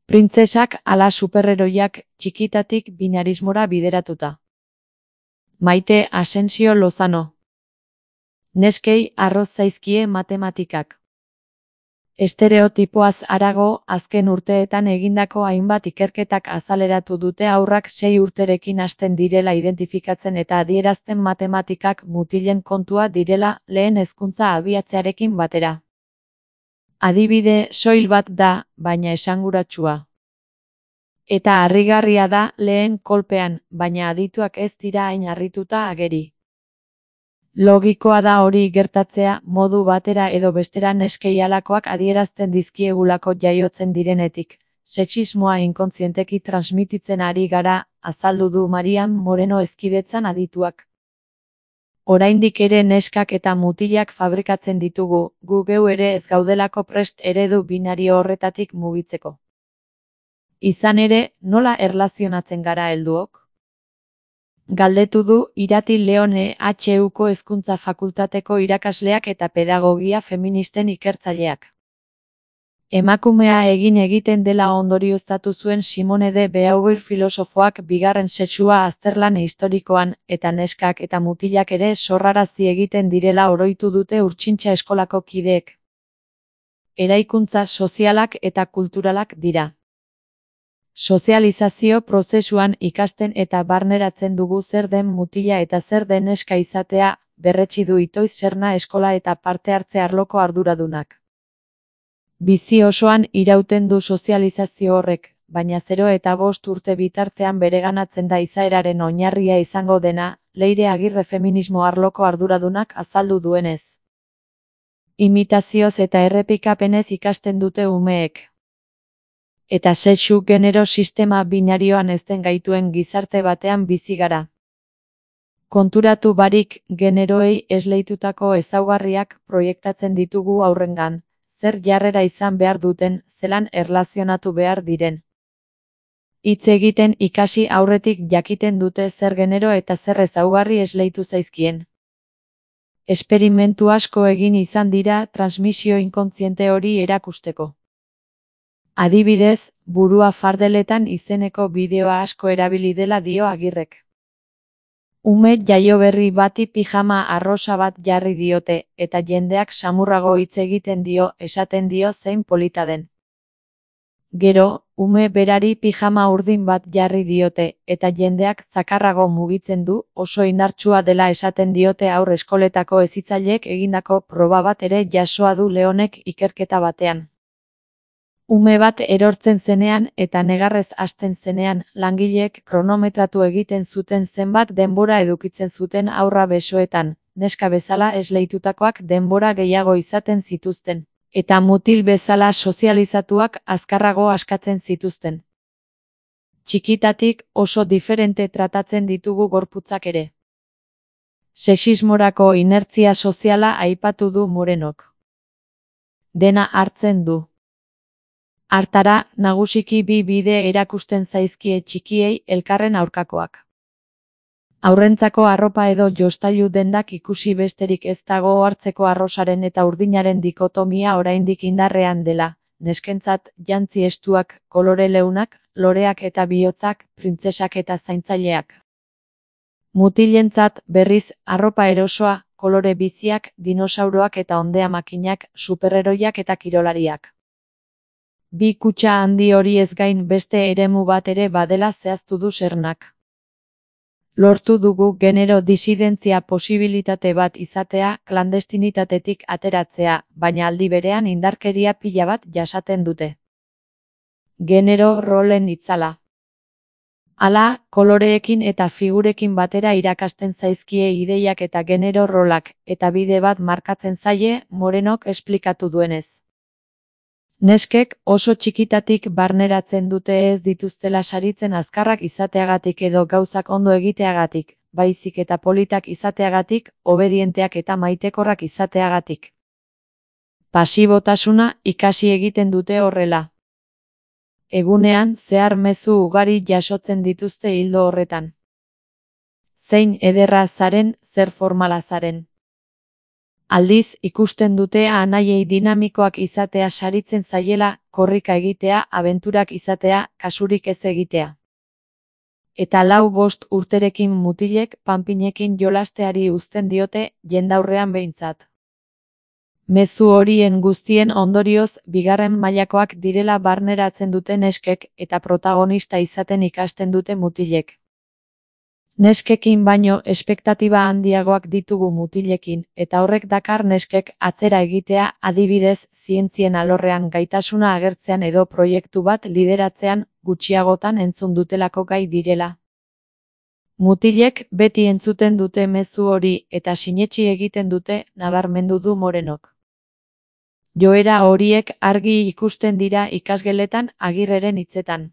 Printzesak ala superheroiak txikitatik binarismora bideratuta. Maite Asensio Lozano. Neskei arroz zaizkie matematikak. Estereotipoaz harago, azken urteetan egindako hainbat ikerketak azaleratu dute haurrak 6 urterekin hasten direla identifikatzen eta adierazten matematikak mutilen kontua direla lehen hezkuntza abiatzearekin batera. Adibide soil bat da, baina esanguratsua. Eta harrigarria da lehen kolpean, baina adituak ez dira hain harrituta ageri. Logikoa da hori gertatzea modu batera edo bestera neskei halakoak adierazten dizkiegulako jaiotzen direnetik. Sexismoa inkontzienteki transmititzen ari gara, azaldu du Marian Moreno Hezkidetzan adituak. Oraindik ere neskak eta mutilak fabrikatzen ditugu, gu geu ere ez gaudelako prest eredu binario horretatik mugitzeko. Izan ere, nola erlazionatzen gara helduok? Galdetu du Irati Leone HUko Hezkuntza Fakultateko irakasleak eta pedagogia feministen ikertzaileak. Emakumea egiten dela ondorioztatu zuen Simone de Beauvoir filosofoak bigarren sexua azterlan historikoan, eta neskak eta mutilak ere sorrarazi egiten direla oroitu dute Urtsintxa eskolako kideek. Eraikuntza sozialak eta kulturalak dira. Sozializazio prozesuan ikasten eta barneratzen dugu zer den mutila eta zer den neska izatea, berretsi du Itoiz Serna eskola eta parte hartze arloko arduradunak. Bizi osoan irauten du sozializazio horrek, baina 0 eta 5 urte bitartean bereganatzen da izaeraren oinarria izango dena, Leire Agirre feminismo arloko arduradunak azaldu duenez. Imitazioz eta errepikapenez ikasten dute umeek. Eta sexu genero sistema binarioan ezten gaituen gizarte batean bizi gara. Konturatu barik, generoei esleitutako ezaugarriak proiektatzen ditugu aurrengan, zer jarrera izan behar duten, zelan erlazionatu behar diren. Hitz egiten ikasi aurretik jakiten dute zer genero eta zer ezaugarri esleitu zaizkien. Esperimentu asko egin izan dira transmisio inkontziente hori erakusteko. Adibidez, burua fardeletan izeneko bideoa asko erabili dela dio Agirrek. Ume jaio berri bati pijama arrosa bat jarri diote, eta jendeak samurrago hitz egiten dio, esaten dio zein polita den. Gero, ume berari pijama urdin bat jarri diote, eta jendeak zakarrago mugitzen du, oso indartsua dela esaten diote haur eskoletako hezitzaileek egindako proba bat ere jasoa du Leonek ikerketa batean. Ume bat erortzen zenean eta negarrez hasten zenean, langileek kronometratu egiten zuten zenbat denbora edukitzen zuten haurra besoetan, neska bezala esleitutakoak denbora gehiago izaten zituzten, eta mutil bezala sozializatuak azkarrago askatzen zituzten. Txikitatik oso diferente tratatzen ditugu gorputzak ere. Sexismorako inertzia soziala aipatu du Morenok. Dena hartzen du. Hartara, nagusiki bi bide erakusten zaizkie txikiei elkarren aurkakoak. Haurrentzako arropa edo jostailu dendak ikusi besterik ez dago hartzeko arrosaren eta urdinaren dikotomia oraindik indarrean dela, neskentzat jantzi estuak, kolore leunak, loreak eta bihotzak, printzesak eta zaintzaileak. Mutilentzat, berriz, arropa erosoa, kolore biziak, dinosauroak eta ondea makinak, superheroiak eta kirolariak. Bi kutxa handi hori ez gain beste eremu bat ere badela zehaztu du Sernak. Lortu dugu genero disidentzia posibilitate bat izatea, klandestinitatetik ateratzea, baina aldi berean indarkeria pila bat jasaten dute. Genero rolen itzala. Hala, koloreekin eta figurekin batera irakasten zaizkie ideiak eta genero rolak, eta bide bat markatzen zaie, Morenok esplikatu duenez. Neskek oso txikitatik barneratzen dute ez dituztela saritzen azkarrak izateagatik edo gauzak ondo egiteagatik, baizik eta politak izateagatik, obedienteak eta maitekorrak izateagatik. Pasibotasuna ikasi egiten dute horrela. Egunean zehar mezu ugari jasotzen dituzte ildo horretan. Zein ederra zaren, zer formala zaren. Aldiz, ikusten dute anaiei dinamikoak izatea saritzen zaiela, korrika egitea, abenturak izatea, kasurik ez egitea. Eta 4-5 urterekin mutilek panpinekin jolasteari uzten diote, jendaurrean behintzat. Mezu horien guztien ondorioz, bigarren mailakoak direla barneratzen dute neskek, eta protagonista izaten ikasten dute mutilek. Neskekin baino espektatiba handiagoak ditugu mutilekin, eta horrek dakar neskek atzera egitea, adibidez, zientzien alorrean gaitasuna agertzean edo proiektu bat lideratzean, gutxiagotan entzun dutelako gai direla. Mutilek beti entzuten dute mezu hori eta sinetsi egiten dute, nabarmendu du Morenok. Joera horiek argi ikusten dira ikasgeletan Agirreren hitzetan.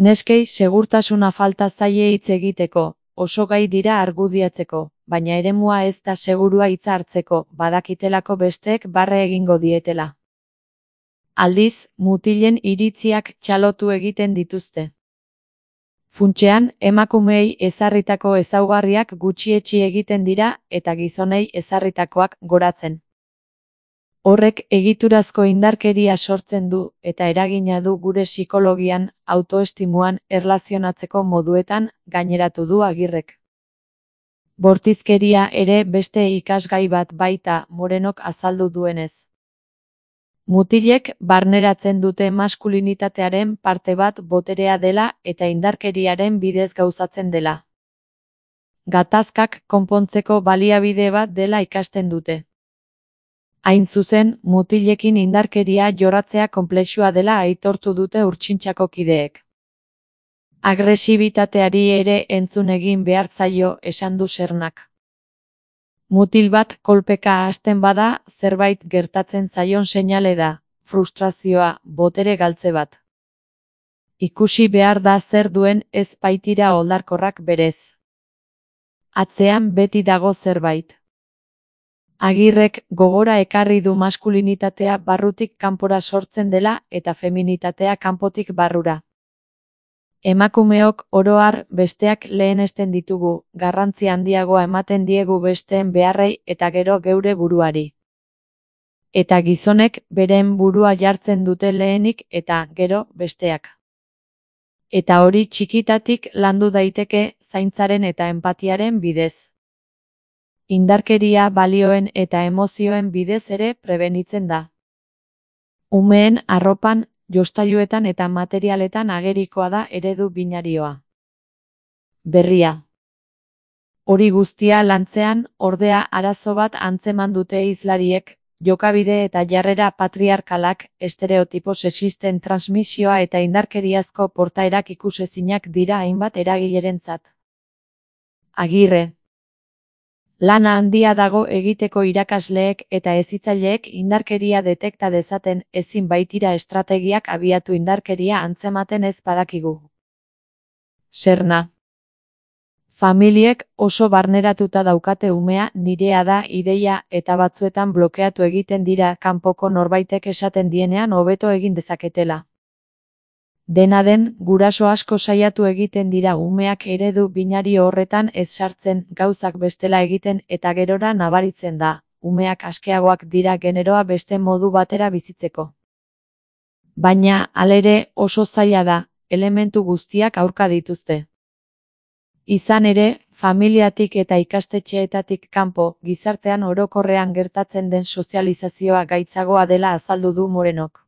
Neskei segurtasuna falta zaie hitz egiteko, oso gai dira argudiatzeko, baina eremua ez da segurua hitza hartzeko, badakitelako besteek barre egingo dietela. Aldiz, mutilen iritziak txalotu egiten dituzte. Funtsean, emakumeei ezarritako ezaugarriak gutxietsi egiten dira eta gizonei ezarritakoak goratzen. Horrek egiturazko indarkeria sortzen du eta eragina du gure psikologian, autoestimuan, erlazionatzeko moduetan, gaineratu du Agirrek. Bortizkeria ere beste ikasgai bat baita, Morenok azaldu duenez. Mutilek barneratzen dute maskulinitatearen parte bat boterea dela eta indarkeriaren bidez gauzatzen dela. Gatazkak konpontzeko baliabide bat dela ikasten dute. Hain zuzen, mutilekin indarkeria jorratzea konplexua dela aitortu dute Urtsintxako kideek. Agresibitateari ere entzun egin behar zaio, esan du Sernak. Mutil bat kolpeka hasten bada, zerbait gertatzen zaion seinale da, frustrazioa, botere galtze bat. Ikusi behar da zer duen ez baitira oldarkorrak berez. Atzean beti dago zerbait. Agirrek gogora ekarri du maskulinitatea barrutik kanpora sortzen dela eta feminitatea kanpotik barrura. Emakumeok oro har besteak lehenesten ditugu, garrantzi handiagoa ematen diegu besteen beharrei eta gero geure buruari. Eta gizonek beren burua jartzen dute lehenik eta gero besteak. Eta hori txikitatik landu daiteke zaintzaren eta enpatiaren bidez. Indarkeria balioen eta emozioen bidez ere prebenitzen da. Umeen arropan, jostailuetan eta materialetan agerikoa da eredu binarioa. Berria. Hori guztia lantzean, ordea arazo bat antzeman dute hizlariek, jokabide eta jarrera patriarkalak, estereotipo sexisten transmisioa eta indarkeriazko portaerak ikusezinak dira hainbat eragilerentzat. Agirre. Lana handia dago egiteko irakasleek eta hezitzaileek indarkeria detekta dezaten, ezin baitira estrategiak abiatu indarkeria antzematen ez badakigu. Serna. Familiek oso barneratuta daukate umea, nirea da ideia eta batzuetan blokeatu egiten dira kanpoko norbaitek esaten dienean hobeto egin dezaketela. Dena den, guraso asko saiatu egiten dira umeak eredu binario horretan ez sartzen, gauzak bestela egiten eta gerora nabaritzen da, umeak askeagoak dira generoa beste modu batera bizitzeko. Baina, halere, oso zaila da, elementu guztiak aurka dituzte. Izan ere, familiatik eta ikastetxeetatik kanpo, gizartean orokorrean gertatzen den sozializazioa gaitzagoa dela azaldu du Morenok.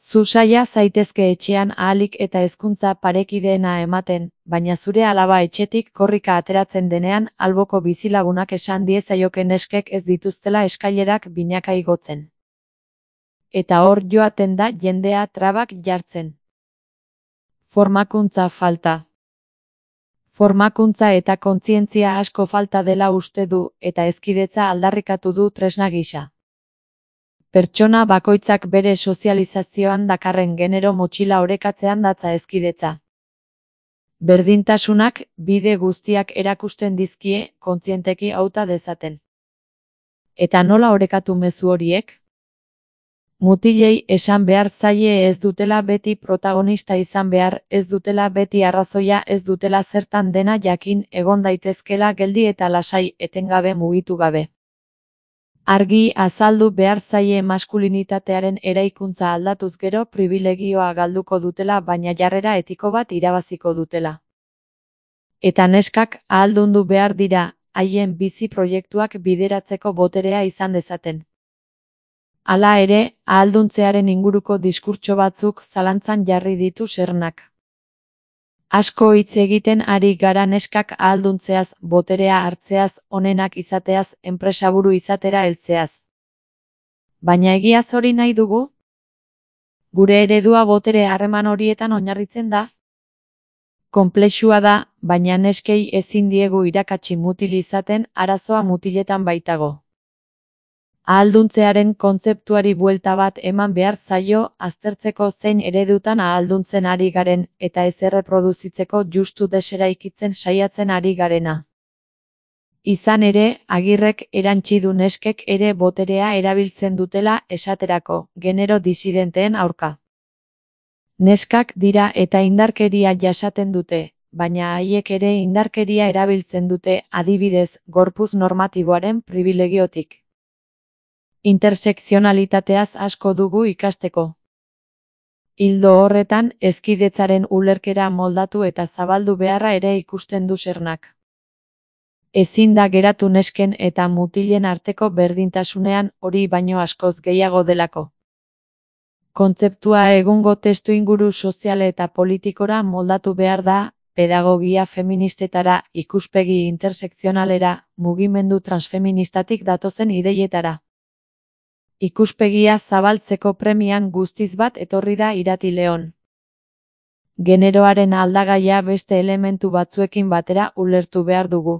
Zu saia zaitezke etxean ahalik eta hezkuntza parekideena ematen, baina zure alaba etxetik korrika ateratzen denean, alboko bizilagunak esan diezaioke neskek ez dituztela eskailerak binaka igotzen. Eta hor joaten da jendea trabak jartzen. Formakuntza falta. Formakuntza eta kontzientzia asko falta dela uste du, eta hezkidetza aldarrikatu du tresna gisa. Pertsona bakoitzak bere sozializazioan dakarren genero motxila orekatzean datza hezkidetza. Berdintasunak bide guztiak erakusten dizkie kontzienteki hauta dezaten. Eta nola orekatu mezu horiek? Mutilei esan behar zaie ez dutela beti protagonista izan behar, ez dutela beti arrazoia, ez dutela zertan dena jakin, egon daitezkela geldi eta lasai, etengabe mugitu gabe. Argi azaldu behar zaie maskulinitatearen eraikuntza aldatuz gero pribilegioa galduko dutela, baina jarrera etiko bat irabaziko dutela. Eta neskak ahaldundu behar dira, haien bizi proiektuak bideratzeko boterea izan dezaten. Hala ere, ahalduntzearen inguruko diskurtso batzuk zalantzan jarri ditu Sernak. Asko hitz egiten ari gara neskak ahalduntzeaz, boterea hartzeaz, onenak izateaz, enpresaburu izatera heltzeaz. Baina egiaz hori nahi dugu? Gure eredua botere harreman horietan oinarritzen da? Konplexua da, baina neskei ezin diegu irakatsi mutil izaten, arazoa mutiletan baitago. Ahalduntzearen kontzeptuari buelta bat eman behar zaio, aztertzeko zein eredutan ahalduntzen ari garen, eta ez erreproduzitzeko justu deseraikitzen saiatzen ari garena. Izan ere, Agirrek erantsi du neskek ere boterea erabiltzen dutela esaterako, genero disidenteen aurka. Neskak dira eta indarkeria jasaten dute, baina haiek ere indarkeria erabiltzen dute, adibidez, gorputz normatiboaren pribilegiotik. Intersekzionalitateaz asko dugu ikasteko. Ildo horretan, hezkidetzaren ulerkera moldatu eta zabaldu beharra ere ikusten du Sernak. Ezin da geratu nesken eta mutilen arteko berdintasunean, hori baino askoz gehiago delako. Kontzeptua egungo testuinguru sozial eta politikora moldatu behar da, pedagogia feministetara, ikuspegi intersekzionalera, mugimendu transfeministatik datozen ideietara. Ikuspegia zabaltzeko premian guztiz bat etorri da Irati Leon. Generoaren aldagaia beste elementu batzuekin batera ulertu behar dugu.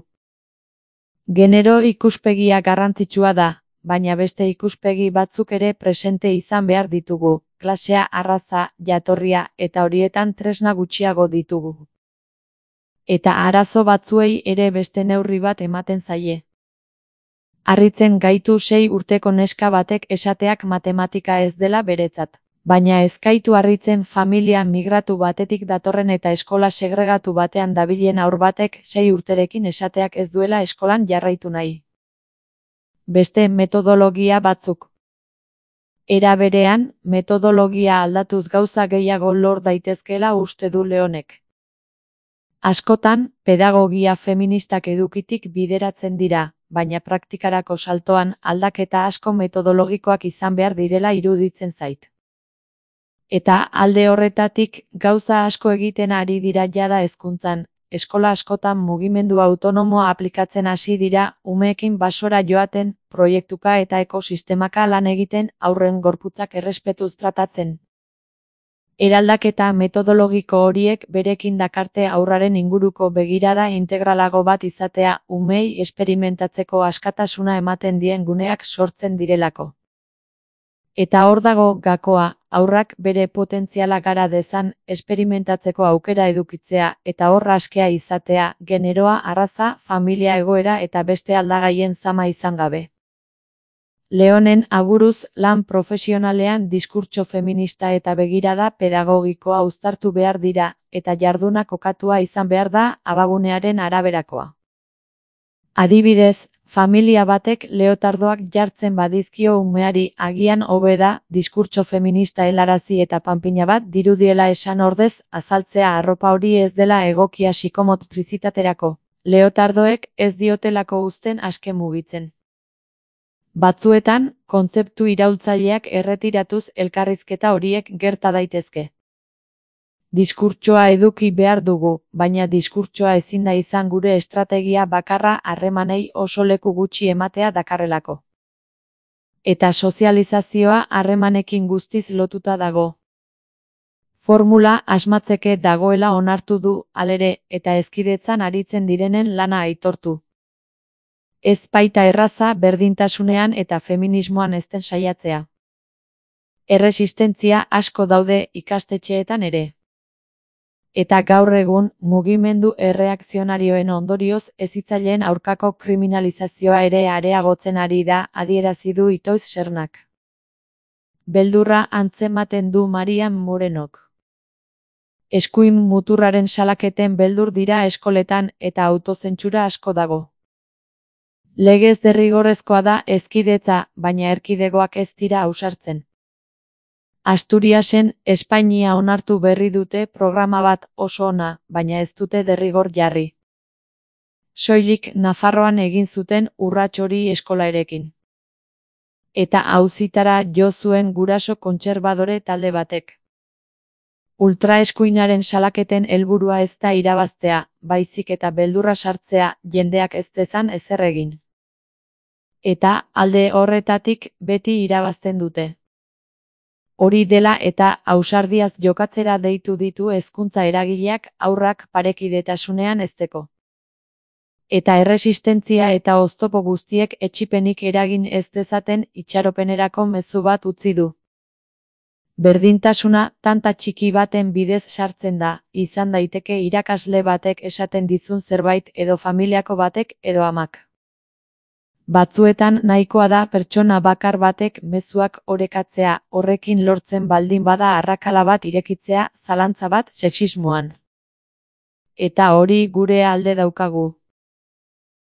Genero ikuspegia garrantzitsua da, baina beste ikuspegi batzuk ere presente izan behar ditugu, klasea, arraza, jatorria, eta horietan tresna gutxiago ditugu. Eta arazo batzuei ere beste neurri bat ematen zaie. Harritzen gaitu 6 urteko neska batek esateak matematika ez dela beretzat. Baina ez gaitu harritzen familia migratu batetik datorren eta eskola segregatu batean dabilen haur batek 6 urterekin esateak ez duela eskolan jarraitu nahi. Beste metodologia batzuk. Era berean, metodologia aldatuz gauza gehiago lor daitezkeela uste du Leonek. Askotan, pedagogia feministak edukitik bideratzen dira, baina praktikarako saltoan aldaketa asko metodologikoak izan behar direla iruditzen zait. Eta alde horretatik, gauza asko egiten ari dira jada hezkuntzan, eskola askotan mugimendu autonomoa aplikatzen hasi dira, umeekin basora joaten, proiektuka eta ekosistemaka lan egiten, haurren gorputzak errespetuz tratatzen. Eraldaketa metodologiko horiek berekin dakarte haurraren inguruko begirada integralago bat izatea, umeei esperimentatzeko askatasuna ematen dien guneak sortzen direlako. Eta hor dago gakoa, haurrak bere potentziala gara dezan, esperimentatzeko aukera edukitzea, eta hor askea izatea, generoa, arraza, familia egoera eta beste aldagaien zama izan gabe. Leonen aburuz, lan profesionalean diskurtso feminista eta begirada pedagogikoa uztartu behar dira, eta jarduna kokatua izan behar da abagunearen araberakoa. Adibidez, familia batek leotardoak jartzen badizkio umeari agian hobe da, diskurtso feminista helarazi eta panpina bat dirudiela esan ordez, azaltzea arropa hori ez dela egokia psikomotrizitaterako. Leotardoek ez diotelako uzten aske mugitzen. Batzuetan, kontzeptu iraultzaileak erretiratuz elkarrizketa horiek gerta daitezke. Diskurtsoa eduki behar dugu, baina diskurtsoa ezin da izan gure estrategia bakarra harremanei oso leku gutxi ematea dakarrelako. Eta sozializazioa harremanekin guztiz lotuta dago. Formula asmatzeke dagoela onartu du, halere, eta hezkidetzan aritzen direnen lana aitortu. Ez baita erraza berdintasunean eta feminismoan ezten saiatzea. Erresistentzia asko daude ikastetxeetan ere. Eta gaur egun, mugimendu erreakzionarioen ondorioz hezitzaileen aurkako kriminalizazioa ere areagotzen ari da, adierazi du Itoiz Sernak. Beldurra antzematen du Marian Morenok. Eskuin muturraren salaketen beldur dira eskoletan eta autozentsura asko dago. Legez derrigorrezkoa da hezkidetza, baina erkidegoak ez dira ausartzen. Asturiasen, Espainia onartu berri dute programa bat oso ona, baina ez dute derrigor jarri. Soilik Nafarroan egin zuten urrats hori eskolarekin. Eta auzitara jo zuen guraso kontserbadore talde batek. Ultraeskuinaren salaketen helburua ez da irabaztea, baizik eta beldurra sartzea, jendeak ez dezan ezer egin. Eta alde horretatik beti irabazten dute. Hori dela eta ausardiaz jokatzera deitu ditu hezkuntza eragileak haurrak parekidetasunean hezteko. Eta erresistentzia eta oztopo guztiek etsipenik eragin ez dezaten itxaropenerako mezu bat utzi du. Berdintasuna tanta txiki baten bidez sartzen da, izan daiteke irakasle batek esaten dizun zerbait edo familiako batek edo amak. Batzuetan nahikoa da pertsona bakar batek mezuak orekatzea, horrekin lortzen baldin bada arrakala bat irekitzea, zalantza bat sexismoan. Eta hori gure alde daukagu.